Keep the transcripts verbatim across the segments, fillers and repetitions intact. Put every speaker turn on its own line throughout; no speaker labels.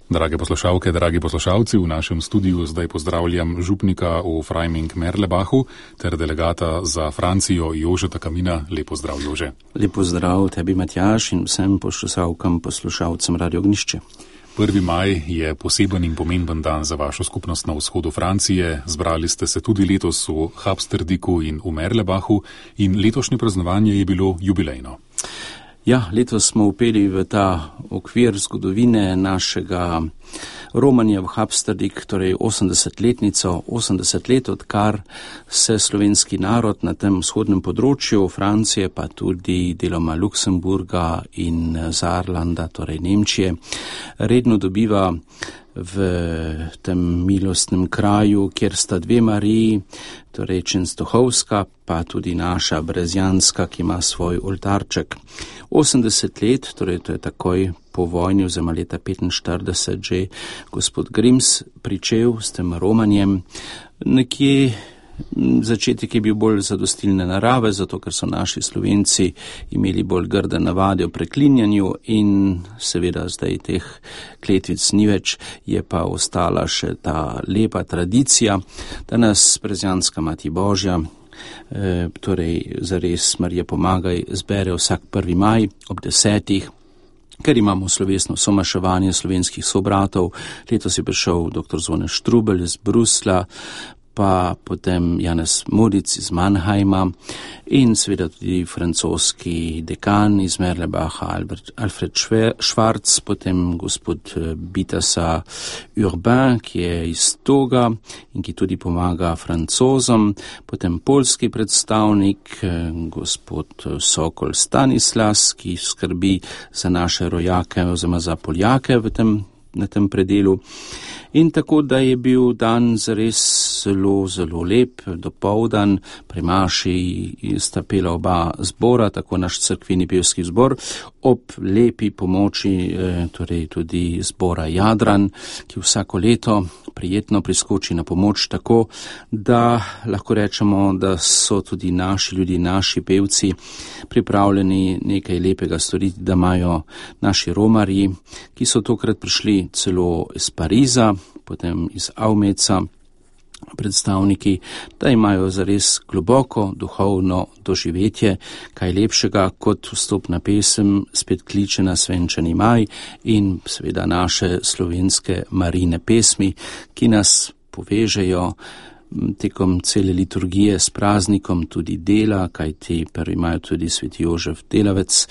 Drage poslušalke, dragi poslušalci, v našem studiu zdaj pozdravljam župnika v Freiming-Merlebachu ter delegata za Francijo Jožeta Kamina. Lep pozdrav, Jože.
Lep pozdrav tebi, Matjaž, in vsem poslušalkam, poslušalcem Radio Ognišče.
prvi maj je poseben in pomemben dan za vašo skupnost na vzhodu Francije. Zbrali ste se tudi letos v Habsterdiku in v Merlebachu in letošnje praznovanje je bilo jubilejno.
Ja, letos smo upeli v ta okvir zgodovine našega romanja v Habsterdik, torej osemdesetletnico, osemdeset let, odkar se slovenski narod na tem vzhodnem področju Francije, pa tudi deloma Luksemburga in Saarlanda, torej Nemčije, redno dobiva v tem milostnem kraju, kjer sta dve Mariji, torej Čenstohovska, pa tudi naša Brezjanska, ki ima svoj oltarček. osemdeset let, torej to je takoj po vojni, oziroma leta petinštirideset, že gospod Grims pričel s tem romanjem. Nekje začetek je bil bolj zadostilne narave, zato ker so naši Slovenci imeli bolj grde navade o preklinjanju in seveda zdaj teh kletvic ni več, je pa ostala še ta lepa tradicija, da nas Brezjanska Mati Božja, e, torej zares Marija pomagaj, zbere vsak prvi maj ob desetih, ker imamo slovesno somaševanje slovenskih sobratov. Letos je prišel doktor Zvone Štrubelj iz Brusla, pa potem Janez Modic iz Mannheima in seveda tudi francoski dekan iz Merlebacha Albert, Alfred Schwarz, potem gospod Bitasa Urbain, ki je iz Toga in ki tudi pomaga Francozom, potem polski predstavnik gospod Sokol Stanislas, ki skrbi za naše rojake oziroma za Poljake v tem, na tem predelu. In tako, da je bil dan zares zelo, zelo lep, dopoldan, pri maši sta pela oba zbora, tako naš cerkveni pevski zbor, ob lepi pomoči, torej tudi zbora Jadran, ki vsako leto prijetno priskoči na pomoč, tako da lahko rečemo, da so tudi naši ljudje, naši pevci pripravljeni nekaj lepega storiti, da imajo naši romarji, ki so tokrat prišli celo iz Pariza, potem iz Avmeca, predstavniki, da imajo zares globoko duhovno doživetje, kaj lepšega kot vstopna pesem Spet kliče na svenčani maj in seveda naše slovenske Marijine pesmi, ki nas povežejo tekom cele liturgije s praznikom tudi dela, kajti prvi imajo tudi sveti Jožef Delavec.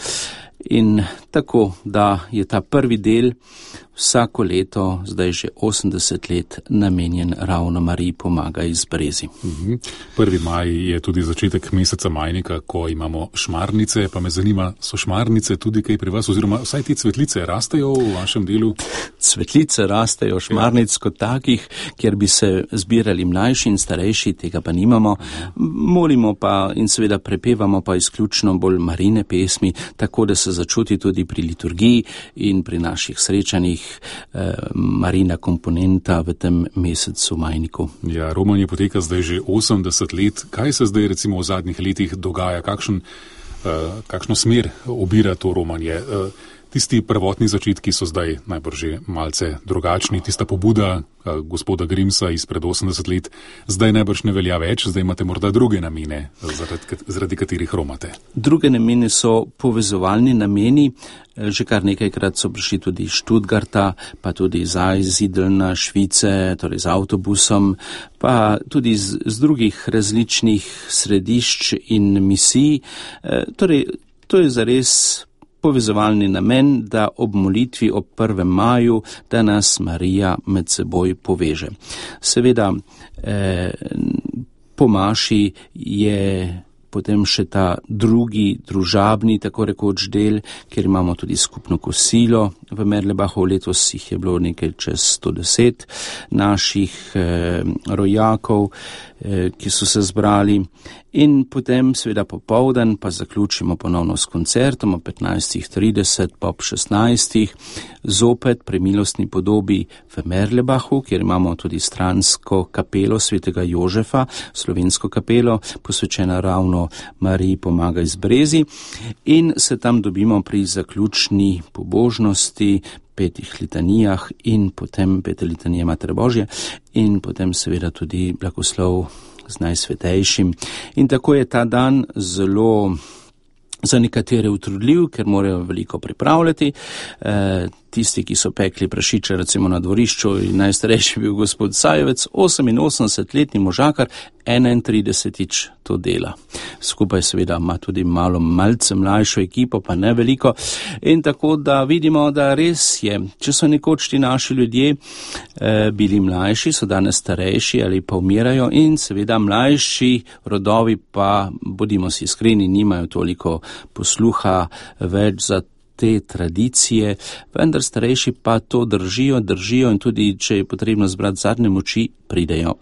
In tako, da je ta prvi del vsako leto, zdaj že osemdeset let, namenjen ravno Mariji pomagaj iz Brezi.
Mhm. prvi maj je tudi začetek meseca majnika, ko imamo šmarnice, pa me zanima, so šmarnice tudi kaj pri vas, oziroma vsaj te cvetlice rastejo v vašem delu?
Cvetlice rastejo, šmarnic ja. Kot takih, kjer bi se zbirali mlajši in starejši, tega pa nimamo. Molimo pa in seveda prepevamo pa izključno bolj Marijine pesmi, tako da se začuti tudi pri liturgiji in pri naših srečanjih eh, Marijina komponenta v tem mesecu majniku.
Ja, romanje poteka zdaj že osemdeset let. Kaj se zdaj recimo v zadnjih letih dogaja? Kakšen, eh, kakšno smer obira to romanje? Eh, tisti prvotni začetki so zdaj najbrž že malce drugačni. Tista pobuda eh, gospoda Grimsa izpred osemdeset let zdaj najbrž ne velja več. Zdaj imate morda druge namene, zaradi, zaradi katerih romate.
Druge namene so povezovalni nameni. Že kar nekajkrat so prišli tudi iz Študgarta, pa tudi iz Einsiedelna, Švice, torej z avtobusom, pa tudi z, z drugih različnih središč in misij. E, torej, to je zares povezovalni namen, da ob molitvi ob prvem maju, da nas Marija med seboj poveže. Seveda, e, po maši je potem še ta drugi, družabni, tako rekoč del, kjer imamo tudi skupno kosilo v Merlebachu. Letos jih je bilo nekaj čez sto deset naših eh, rojakov, eh, ki so se zbrali. In potem seveda popoldan pa zaključimo ponovno s koncertom o petnajstih trideset pa ob šestnajstih, zopet pri milostni podobi v Merlebachu, kjer imamo tudi stransko kapelo svetega Jožefa, slovensko kapelo, posvečena ravno Mariji pomagaj iz Brezi, in se tam dobimo pri zaključni pobožnosti petih litanijah in potem pete litanije Matere Božje in potem seveda tudi blagoslov z Najsvetejšim. In tako je ta dan zelo za nekatere utrudljiv, ker morajo veliko pripravljati. E, tisti, ki so pekli prašiče recimo na dvorišču, in najstarejši bil gospod Sajevec, oseminosemdesetletni možakar, enaintridesetič to dela. Skupaj seveda ima tudi malo malce mlajšo ekipo, pa ne veliko. In tako da vidimo, da res je, če so nekoč ti naši ljudje eh, bili mlajši, so danes starejši ali pa umirajo in seveda mlajši rodovi pa, bodimo si iskreni, nimajo toliko posluha več za te tradicije, vendar starejši pa to držijo, držijo in tudi, če je potrebno zbrati zadnje moči, pridejo.